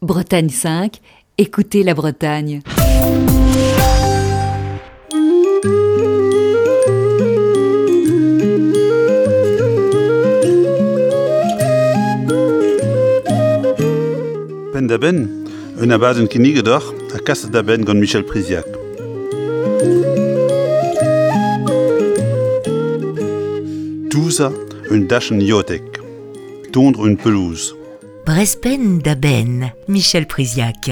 Bretagne 5, écoutez la Bretagne. Penn-da-benn, un abadenn kinniget deoc'h ha kaset da benn gant Michel Priziac. Touzañ un dachenn iotek, tondr un pelouz. Brezpenn da benn, Michel Priziac.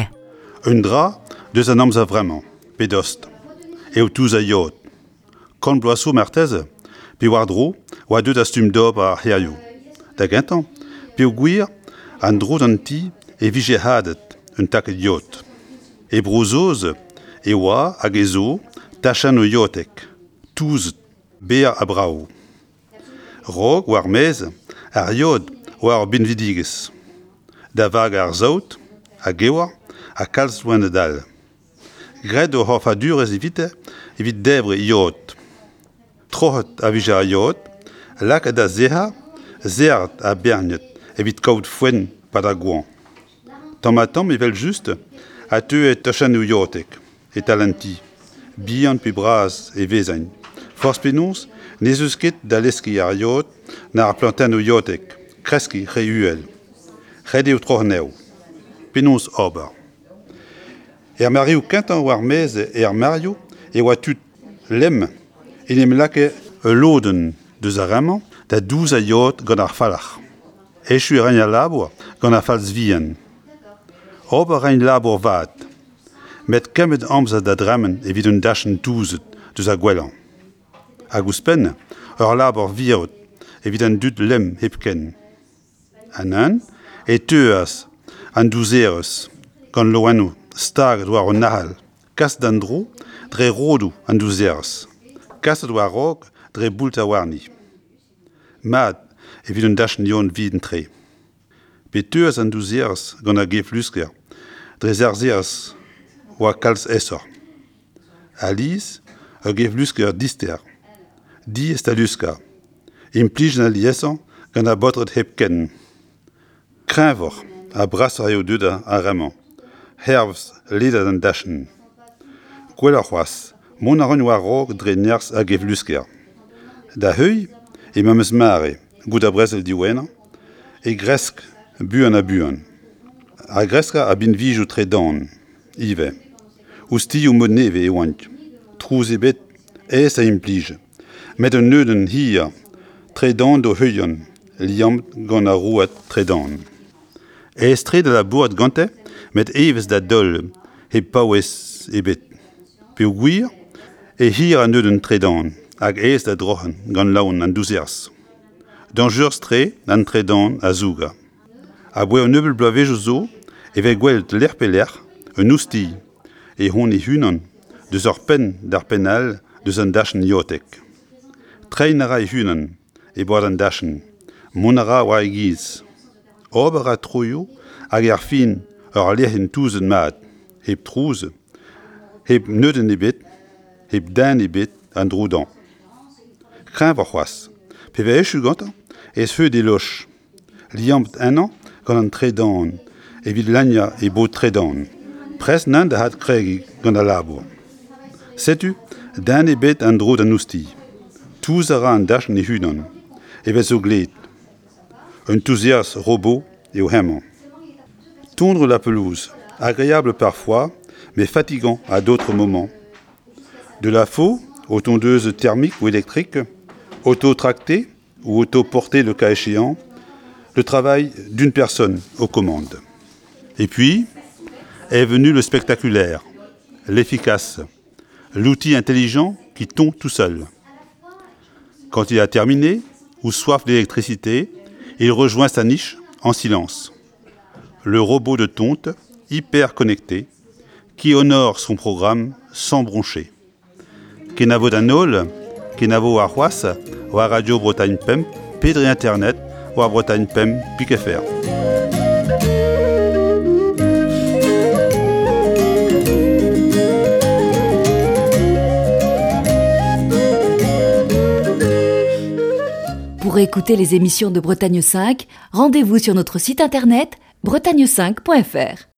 Un dra deus an amzer vremañ, pe dost, eo touzañ yod. Kant bloaz zo marteze, pe war-dro, oa deuet ar stumm d'ober ar c'hêrioù. Da gentañ, peogwir an dro d'an ti e vije hadet un takad yod. E Bro-Saoz e oa hag e zo tachennoù yotek, touzet, berr ha brav. Raok war-maez ar yod oa ur binvidigezh. Da vagañ ar saout, ha gewr, ha kalz loened all. Graet o c'horfadurezh evite evit debriñ yod. Troc'het a vije ar yod, lakaet da sec'hañ, serret ha berniet evit kaout foenn 'pad ar goañv. Tamm-ha-tamm evel-just a teue tachennoù yotek e-tal an ti, bihan pe bras e vezent. Forzh penaos n'ez eus ket da leskiñ ar yod na ar plantennoù yotek kreskiñ re uhel. Ret eo troc'h anezho. Penaos ober? Er mareoù kentañ war-maez er mareoù e oa tud lemm en em lakae ul lodenn deus ar re-mañ da douzañ yod gant ar falc'h. Echu e raint al labour gant ar falz vihan. Ober a raint labour vat, met kemmet amzer da dremen evit un dachenn touzet deus ar gwellañ. Hag ouzhpenn, ur labour virout evit an dud lemm hepken. Ha neuze e teuas an douzerezh gant loenioù staget war un ahel kaset d'an dro dre rodoù an douzerezh, kaset war-raok dre boultañ warni. Mat evit un dachenn yon vihan-tre. Pe teuas an douzerezh gant ar geflusker dre sarzherezh oa kalz aesoc'h. Alies ur geflusker dister, diaes da luskañ, implijet aliesañ gant ar baotred hepken. Kreñvoc'h ha brasoc'h eo deuet ar re-mañ, hervez ledad an dachenn. Gwelloc'h c'hoazh, mont a ran war-raok dre nerzh ar geflusker. Da heuilh, e memes mare, goude ar brezel diwezhañ, e gresk buan-ha-buan. Ar greskañ a binvioù tredan ivez. Ouzhtilhoù mod nevez e oant, trouz ebet, aes da implij, met un neudenn hir tredan d'o heuliañ, liammet gant ar rouad tredan. Aes-tre da labourat gante met evezh da daol hep paouez ebet peogwir eo hir an neudenn tredan hag aes da droc'hañ gant laon an douserzh. Dañjerus-tre an tredan a zougañ. Aboae un nebeud bloavezhioù zo e vez gwelet lec'h pe lec'h un oustilh e hont e-unan deus ur penn d'ar penn all deus an dachenn yotek. Treiñ a ra e-unan e bord an dachenn, mont a ra war e giz. Ober a ra troioù hag erfin ur lec'hienn touzet mat, hep trouz, hep neudenn ebet, hep den ebet an dro dañ. Kreñvoc'h c'hoazh, pe vez echu gantañ e zeu d'e loch, liammet ennañ gant an tredan evit lagnañ e bod tredan. Prest neuze da adkregiñ gant al labour. Setu den ebet en dro d'an oustilh. Touz a ra an dachenn e-unan, evel zo gleet. Un touzias robot eo hemañ. Tondre la pelouse, agréable parfois, mais fatigant à d'autres moments. De la faux aux tondeuses thermiques ou électriques, auto-tractées ou auto-portées le cas échéant, le travail d'une personne aux commandes. Et puis est venu le spectaculaire, l'efficace, l'outil intelligent qui tombe tout seul. Quand il a terminé, ou soif d'électricité, il rejoint sa niche en silence. Le robot de tonte, hyper connecté, qui honore son programme sans broncher. Kenavo d'an holl, kenavo warc'hoazh war Radio Bretagne Pemp pe dre internet war Bretagne Pemp pik.fr. Pour écouter les émissions de Bretagne 5, rendez-vous sur notre site internet bretagne5.fr.